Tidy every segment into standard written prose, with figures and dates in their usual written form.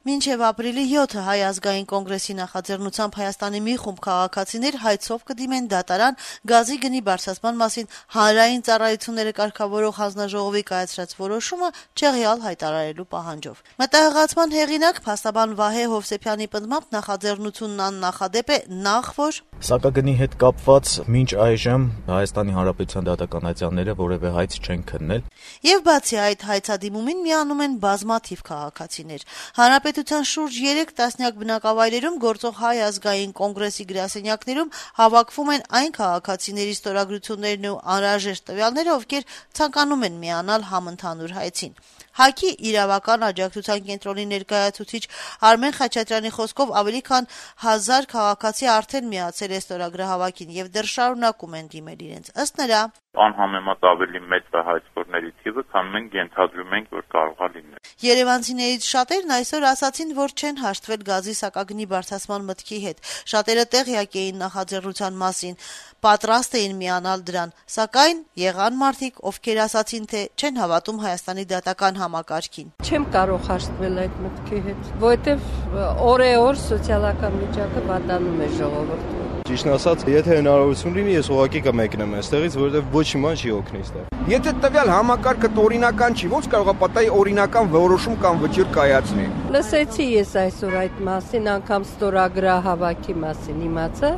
Մինչև ապրիլի 7-ը Հայ ազգային կոնգրեսի նախաձեռնությամբ Հայաստանի մի խումբ քաղաքացիներ հայցով կդիմեն դատարան գազի գնի բարձրացման մասին հանրային ծառայությունները կարգավորող հանձնաժողովի կայացրած որոշումը չեղյալ հայտարարելու պահանջով։ Մտահղացման հեղինակ փաստաբան Վահե Հովսեփյանի պնդմամբ նախաձեռնությունն աննախադեպ է նախ որ Սակագնի հետ կապված մինչ այժմ Հայաստանի Հանրապետության դատականատյանները որևէ հայց չեն քննել։ Եվ բացի այդ հայցադիմումին միանում են բազմաթիվ քաղաքացիներ։ Հանրապետության շուրջ 3 տասնյակ բնակավայրերում գործող Հայ ազգային կոնգրեսի գրասենյակներում հավաքվում են այն քաղաքացիների ստորագրություններն ու անհրաժեշտ տվյալները, ովքեր ցանկանում են միանալ համընդհանուր հայցին։ ՀԱԿ-ի իրավական աջակցության կենտրոնի ներկայացուցիչ Արմեն Խաչատրյանի խոսքով ավելի քան 1000 քաղաքացի արդեն միացել է ստորագրահավաքին եւ դեռ շարունակում են դիմել իրենց։ Ըստ նրա, անհամեմատ ավելի մեծ է հայցքորների թիվը, քան մենք ենթադրում ենք, որ կարող է լինել։ Երևանցիներից շատերն այսօր ասացին, որ չեն հաշտվել գազի սակագնի բարձրացման մտքի հետ։ Շատերը տեղյակ էին նախաձեռնության մասին, պատրաստ էին միանալ դրան, սակայն եղան մարդիկ, ովքեր ասացին, թե չեն հավատում Հայաստանի դատական համակարգին։ Չեմ կարող հաշտվել այդ մտքի հետ, որովհետև օր սոցիալական վիճակը վատանում է ժողովրդին։ Ճիշտն ասած, եթե հնարավորություն լինի, ես ուղղակի կմեկնեմ այստեղից, որովհետև ոչ իման չի օգնի այստեղ։ Եթե տվյալ համակարգը օրինական չի, ո՞նց կարող է պատահի օրինական որոշում կամ վճիռ կայացնի։ Լսեցի ես այսօր այդ մասին, անգամ ստորագրահավաքի մասին իմացա,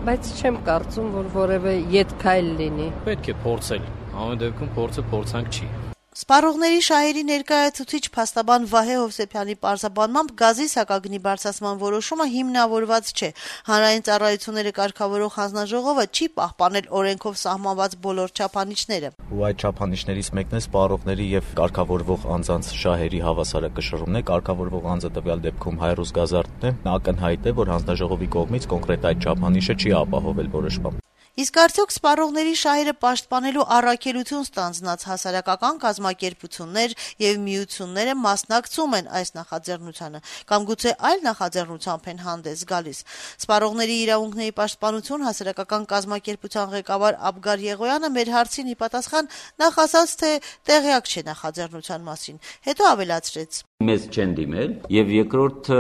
բայց չեմ կարծում, որ որևէ ետքայլ լինի։ Պետք է փորձել, ամեն դեպքում փորձը փորձանք չի։ Սպառողների շահերի ներկայացուցիչ փաստաբան Վահե Հովսեփյանի պարզաբանմամբ գազի սակագնի բարձրացման որոշումը հիմնավորված չէ։ Հանրային ծառայությունները կարգավորող հանձնաժողովը չի պահպանել օրենքով սահմանված բոլոր չափանիշները։ Ու այդ չափանիշներից մեկն է սպառողների եւ կարգավորվող անձանց շահերի հավասարակշռումն է։ Կարգավորվող անձը տվյալ դեպքում Հայրուս Գազարդն է։ Ակնհայտ է, որ հանձնաժողովի կողմից կոնկրետ այդ չափանիշը չի ապահովել որոշմամբ։ Իսկ արդյոք սպառողների շահերը պաշտպանելու առաքելություն ստանձնած հասարակական կազմակերպություններ եւ միությունները մասնակցում են այս նախաձեռնությանը կամ գուցե այլ նախաձեռնությամբ են հանդես գալիս։ Սպառողների իրավունքների պաշտպանություն հասարակական կազմակերպության ղեկավար Աբգար Եղոյանը մեր հարցին ի պատասխան նախ ասաց, թե տեղյակ չէ նախաձեռնության մասին, հետո ավելացրեց. Մեզ չեն դիմել եւ երկրորդը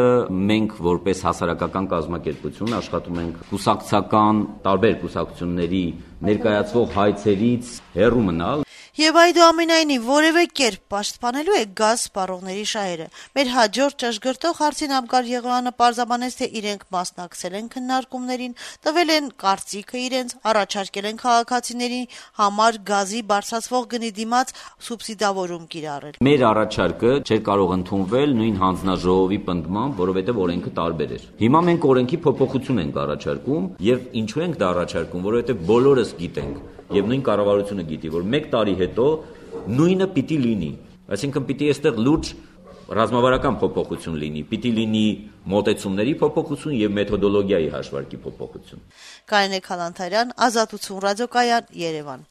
մենք որպես հասարակական կազմակերպություն աշխատում ենք կուսակցական տարբեր կուսակցությունների ներկայացվող հայցերից հեռու մնալ Եվ այդուամենայնիվ որևէ կերպ պաշտպանելու է գազ սպառողների շահերը։ Մեր հաջորդ ճշգրտող հարցին Աբգար Եղոյանը պարզաբանեց, թե իրենք մասնակցել են քննարկումներին, տվել են կարծիքը իրենց, առաջարկել են քաղաքացիների համար գազի բարձրացվող գնի դիմաց սուբսիդավորում կիրառել։ Մեր առաջարկը չէր կարող ընդունվել նույն հանձնաժողովի պնդմամբ, որովհետև օրենքը տարբեր էր։ Հիմա մենք օրենքի փոփոխություն ենք առաջարկում եւ ինչու ենք դա առաջարկում, որովհետև բոլորս գիտենք եւ նույն կառավարությունը գիտի, որ 1 տարի հետո նույնը պիտի լինի։ Այսինքն պիտի այստեղ լուրջ ռազմավարական փոփոխություն լինի, պիտի լինի մոտեցումների փոփոխություն եւ մեթոդոլոգիայի հաշվարկի փոփոխություն։ Կարինե Քալանթարյան, Ազատություն ռադիոկայան, Երևան։